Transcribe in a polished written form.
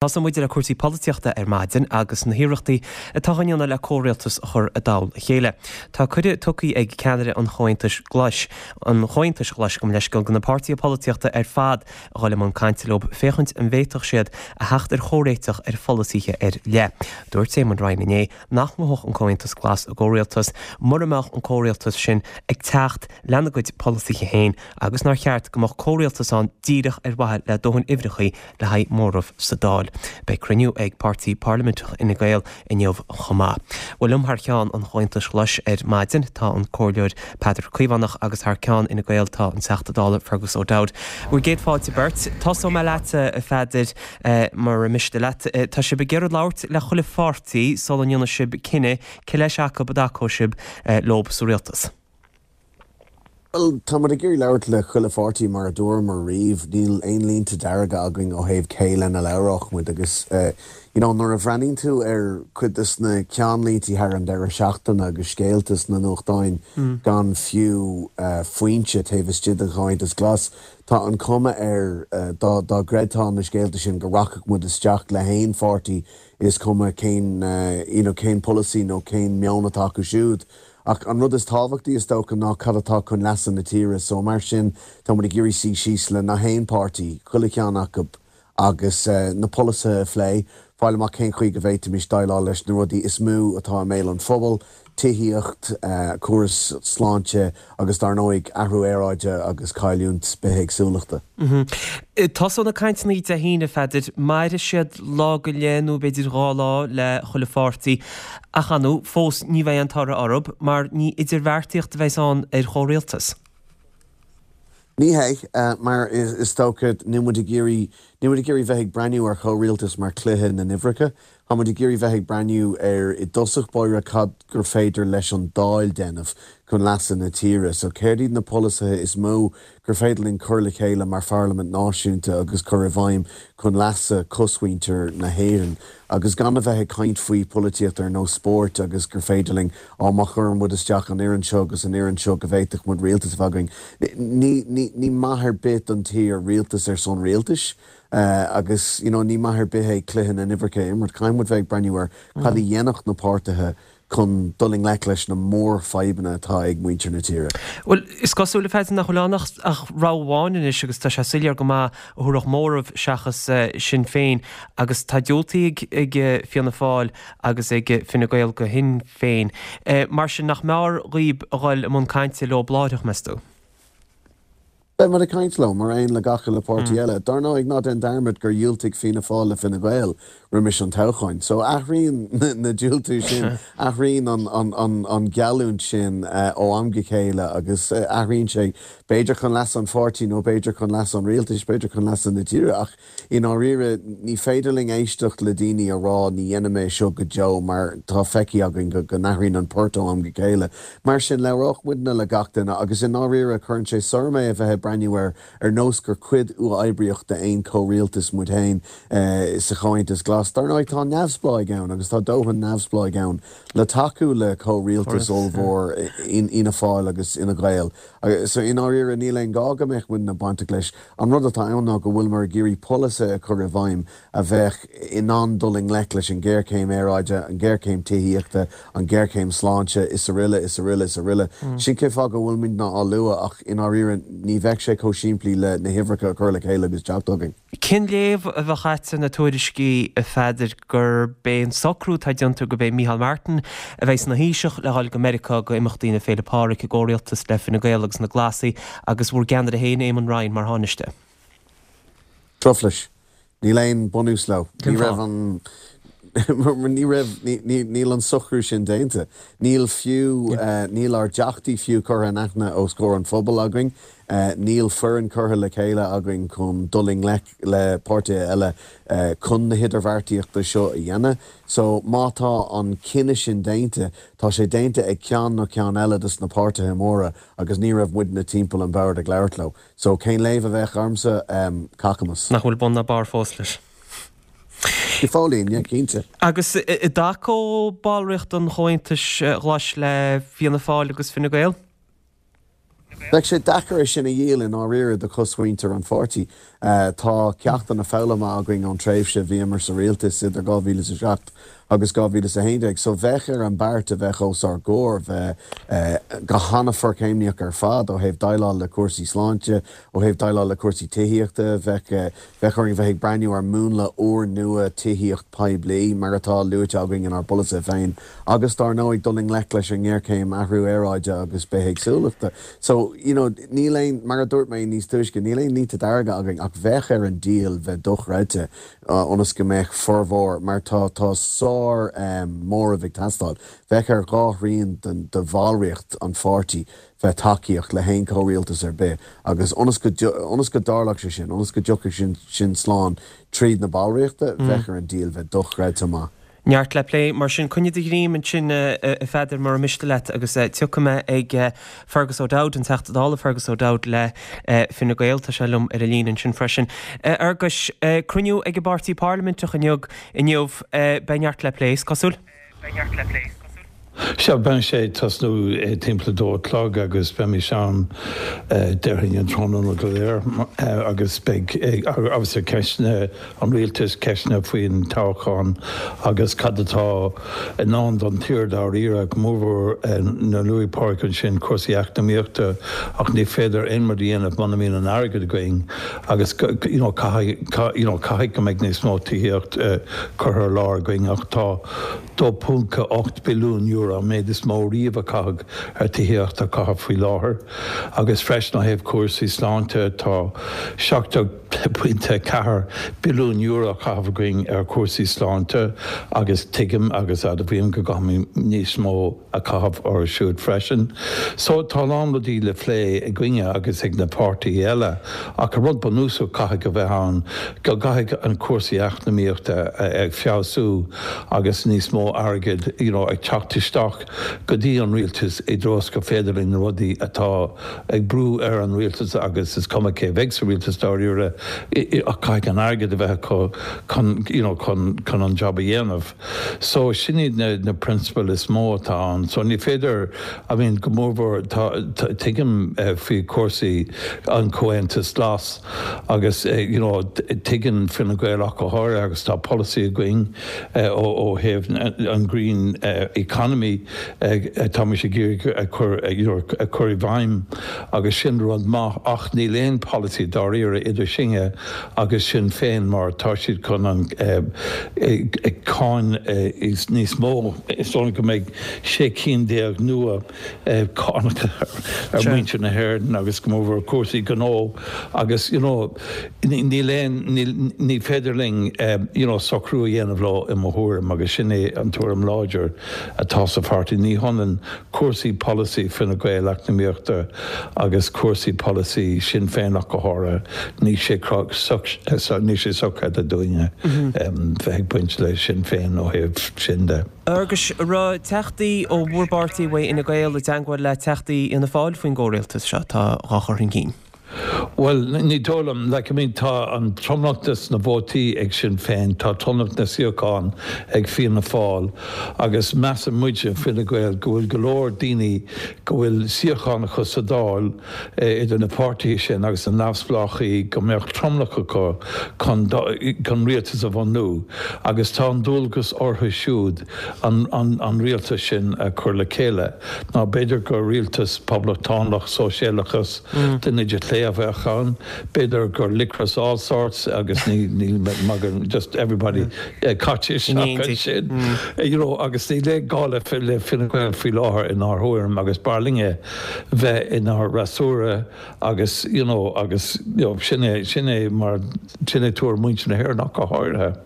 Tosóidh muid le cúrsaí polaitíochta ar maidin agus na hiarrachtaí atá á ndéanamh le comhrialtas a chur i dtoll a chéile. Tá cuireadh tugtha ag ceannaire an Chomhaontais Ghlais, an Chomhaontais Ghlais gabh mo leithscéal, do na páirtithe polaitíochta ar fad a dhul i mbun cainte leo féachaint an bhféadfadh siad a theacht ar chomhréiteach ar pholasaithe ar leith. Dúirt Éamon Ryan inné nach ngabhfadh an Comhaontas Glas i gcomhrialtas mura mbeadh an comhrialtas sin ag teacht lena gcuid polasaithe féin agus nár cheart go mbeadh comhrialtas ann díreach ar mhaithe le dóthain uimhreacha le haghaidh móramh sa Dáil. Beidh cruinniú ag Páirtí Parlaiminteach Fhine Gael inniu chomh maith. Bhuel liom thar cheann an Chomhaontais Ghlais ar maidin tá an Comhairleoir Peadar Caomhánach agus thar ceann Fhine Gael tá an Teachta Dála Fergus O'Dowd. Bhur gcéad fáilte beirt. Tosóidh mé leatsa a Pheadair. Mura miste leat, tá sibh ag iarraidh labhairt le chuile pháirtí sula ndéanfaidh sibh cinneadh cé leis acu a dtacóidh sibh leo sa rialtas. Bhuel, tá muid ag iarraidh labhairt le chuile pháirtí mar a dúramar riamh, níl aon línte dearga againn ó thaobh cé lena labhródh muid agus you know nuair a bhreathnaíonn tú ar cuid de na ceannlíntí thar an deireadh seachtaine agus scéalta sna nuachtáin gan fiú foinse taobh istigh den Chomhaontas Glas, Tá an cuma air, dá gcreidfeá na scéalta sin, go rachadh muid isteach le haon pháirtí, is cuma cén you know cén polasaí nó cén meon atá acu siúd. Ach an rud is tábhachtaí, is dócha, ná cad atá chun leasa na tíre. So mar sin, tá muid ag iarraidh suí síos le nach aon páirtí, chuile cheann acu, agus na polasaithe a phlé, fáil amach cén chaoi go bhféadfaimis déileáil leis na rudaí is mó atá i mbéal an phobail, tithíocht, córas sláinte agus dar ndóigh athrú aeráide agus cailliúint bithéagsúlachta. Tosóidh na cainteanna Dé hAoine, a Pheadair. Mairfidh siad lá go leith nó b'fhéidir 2 lá le chuile pháirtí ach ar ndóigh fós ní bheidh aon toradh orthu mar ní idirbheartaíocht a bheas ann ar chomhrialtas. Ní hea, mar is dócha, níl muid ag iarraidh, níl muid ag iarraidh bheith ag breathnú ar chomhrialtas mar chluiche na n-uimhreacha. Tá muid ag iarraidh bheith ag breathnú ar, i dtosach báire, cad gur féidir leis an Dáil déanamh chun leasa na tíre. So céard iad na polasaithe is mó gur féidir linn cur le chéile mar pharlaimint náisiúnta agus cur i bhfeidhm chun leasa cosmhuintir na hÉireann? Agus gan a bheith ag caint faoi pholaitíocht ar nós spóirt agus gur féidir linn, á má chuireann muid isteach an fhoireann seo agus an fhoireann seo go bhféadfadh muid rialtas a bheith againn. Ní, ní, ní maith ar bith don tír rialtas ar son rialtais agus you know ní maith ar bith é cluiche na n-uimhreacha a imirt. Caithfidh muid bheith ag breathnú ar cad a dhéanfadh na páirtithe chun dul i ngleic leis na mórfhadhbanna atá ag muintir na tíre. Bhuel, is cosúil, a Pheadair, nach bhfuil ann ach rogha amháin anois agus tá sé soiléir go maith a thabharfadh móramh seachas Sinn Féin agus tá diúltaithe ag Fianna Fáil agus ag Fine Gael go Shinn Féin. Mar sin, nach mb'fhearr dhaoib a dhul i mbun cainte leo láithreach, meas tú? Beidh muid ag caint leo, mar aon le gach uile páirtí eile. Dar ndóigh, ná déan dearmad gur dhiúltaigh Fianna Fáil le Fine Gael roimis an toghcháin. So athraíonn na diúltú sin, athraíonn an geallúint sin ó am go chéile agus athraíonn sé b'fhéidir chun leasa an pháirtí nó b'fhéidir chun leasa an rialtais, b'fhéidir chun leasa na tíre ach I ndáiríre, ní féidir linn éisteacht le daoine a rá ní dhéanfaidh mé seo go deo mar tá feicthe againn go n-athraíonn an port ó am go chéile. Mar sin, labhróidh muidne le gach duine agus i ndáiríre cuireann sé sor orm é a bheith ag breathnú air ar nós gur cuid uathoibríoch d'aon chomhrialtas muid féin sa Chomhaontas Glas. Dar ndóigh, tá neamhspleáigh ann agus tá dóthain neamhspleáigh ann le tacú le comhrialtas ollmhór Fhianna Fáil agus Fhine Gael. So, i ndáiríre, níl aon ghá go mbeadh muidne bainteach leis. An rud atá ann ná go bhfuileamar ag iarraidh polasaithe a chur i bhfeidhm a bheadh in ann dul i ngleic leis an ghéarchéim aeráide, an ghéarchéim tithíochta, an ghéarchéim sláinte, is aroile, is aroile, is aroile. Sin cén fáth go bhfuil muidne á lua ach i ndáiríre ní bheadh sé chomh simplí le na huimhreacha a chur le chéile agus teacht chugainn. Cén léamh a bheadh agat ar na tuairiscí, a Pheadair, gurb é an socrú atá déanta gurb é Micheál Martin a bheidh ina Thaoiseach le dhul go Meiriceá go imeachtaí na Féile Pádraig i gcomhrialtas le Fine Gael agus na Glasaigh agus bhur gceannaire féin, Éamon Ryan, mar Thánaiste? Truflais. Níl aon bunús leo. Ní raibh an ní raibh níl an socrú sin déanta. Níl fiú níl ár dteachtaí fiú curtha in aithne os comhair an phobail againn. Níl foireann curtha le chéile againn chun dul i ngleic le páirtithe eile chun na hidirbheartaíochta seo a dhéanamh. So má tá an cinneadh sin déanta, tá sé déanta ag ceann nó ceann eile dos na páirtithe móra agus ní raibh muidne timpeall an bhoird ag labhairt leo. So cén léamh a bheadh ormsa? Cacamas. Nach bhfuil bun ná barr fós leis. Go fóillín, yeah, cinnte. Agus an dtacódh ballraíocht an Chomhaontais Ghlais le Fianna Fáil agus Fine Gael? Bheadh sé deacair é sin a dhíol i ndáiríre do chosmhuintir an pháirtí. Tá ceachtanna foghlamtha againn ón tréimhse a bhíomar sa rialtas idir 2007 agus 2011 so bheadh ar an beart a bheadh os ár gcomhair bheith go han-fhorchéimníoch ar fad ó thaobh déileáil le cúrsaí sláinte, ó thaobh déileáil le cúrsaí tithíochta. Bheadh bheadh orainn bheith ag breathnú ar mhúnla úrnua tithíocht poiblí mar atá luaite againn inár bpolasaithe féin agus dár ndóigh dul i ngleic leis an ngéarchéim athrú aeráide agus bithéagsúlachta. So, you know, níl aon, mar a dúirt mé níos túisce, níl aon línte dearga againn ach bheadh ar an díol bheith dochreidte ionas go mbeadh formhór, mar tá, tá sár móramh ag teastáil, bheadh ar dhá thrian den, de bhallraíocht an pháirtí bheith tacaíoch le haon chomhrialtas ar bith agus ionas go, ionas go dtarlódh sé sin, ionas go dtiocfadh sin, sin slán tríd na ballraíochta, bheadh ar an díol bheith dochreidte maith. Neart le plé, mar sin. Coinnigh do ghreim ansin, a Pheadair, mura miste leat, agus tiocfaidh mé ag Fergus O'Dowd, an Teachta Dála Fergus O'Dowd le Fine Gael. Tá sé liom ar an líne ansin freisin. A Fhearghuis, cruinniú ag an bpáirtí parlaiminteach inniu, inniu. Beidh neart le plé, is cosúil. Sea, beidh sé ag tosnú timpeall a dó a chlog agus beimís ann déarfainn an tráthnóna go léir agus beidh obviously ceisteanna an rialtais, ceisteanna faoin toghchán agus cad atá i ndán don tír dáiríre, go mórmhór nuair a luaigh Pádraig ansin cúrsaí eacnamaíochta ach ní féidir aon rud a dhéanamh muna mbíonn an airgead againn agus you know caithfidh you know caithfidh go mbeidh níos mó tithíocht curtha ar lár againn ach tá €2.8 billiún, an méid is mó riamh a caitheadh ar tithíocht á caitheamh faoi láthair, agus freisin ó thaobh cúrsaí sláinte, tá €17.4 billiún á chaitheamh againn ar chúrsaí sláinte agus tuigim agus admhaím go gcaithfimid níos mó a chaitheamh orthu siúd freisin. So tá a lán rudaí le plé againne agus ag na páirtithe eile ach an rud bunúsach caithfidh a bheith ann go gcaithfidh an cúrsaí eacnamaíochta ag feabhsú agus níos mó airgid you know ag teacht isteach go dtí an rialtas i dtreo is gur féidir linn na rudaí atá ag brú ar an rialtas agus is cuma cé bheidh sa rialtas dáiríre ach caithfidh an airgead a bheith acu chun you know chun chun an job a dhéanamh. So sin iad na na prionsabail is mó atá ann. So ní féidir, I mean go mórmhór tá, tuigim faoi chúrsaí an Comhaontas Glas agus you know tuigeann Fine Gael ach go háirithe agus tá polasaí againn ó ó thaobh an green economy atáimid ag iarraidh a chur you know a chur i bhfeidhm agus sin rud maith ach níl aon polasaí dáiríre idir sinne agus Sinn Féin mar tá siad chun an cáin níos mó, is dóigh liom go mbeidh 16 cinn nua cánacha ar mhuintir na hÉireann agus go mórmhór cúrsaí gnó agus you know níl aon, ní féidir linn you know socrú a dhéanamh leo i mo thuairim agus sin é an tuairim láidir atá sa pháirtí. Ní hionann cúrsaí polasaí Fine Gael eacnamaíochta agus cúrsaí polasaí Sinn Féin ach go háirithe. Níl sé níl sé sochreidte dúinne bheith ag baint le Sinn Féin ó thaobh sin de. A Fhearghuis, an raibh teachtaí ó bhur bpáirtí, uaidh Fhine Gael, i dteangmháil le teachtaí Fhianna Fáil faoin gcomhrialtas seo atá dhá chur chun cinn? Bhuel, ní dóigh liom. Like, I mean, tá an tromlach des na vótaí ag Sinn Féin, tá tromlach na suíochán ag Fianna Fáil agus measann muide, Fine Gael, go bhfuil go leor daoine go bhfuil suíochán acu sa Dáil idir na páirtithe sin agus na neamhspleáchaí go mbeadh tromlach acu chun chun rialtas a bhunú agus tá an dualgas orthu siúd an an an rialtas sin a chur le chéile. Nó b'fhéidir gur rialtas poblachtánach sóisialachas den eite chlé a bheadh ann, b'fhéidir gur liquorice allsorts agus níl magadh just everybody caite isteach ansin you know agus níl aon gá le le Fine Gael faoi láthair inár thuairim agus b'fhearr linne bheith inár fhreasúra agus you know agus you know sin é sin é mar sin é tuairim muintir na hÉireann ach go háirithe.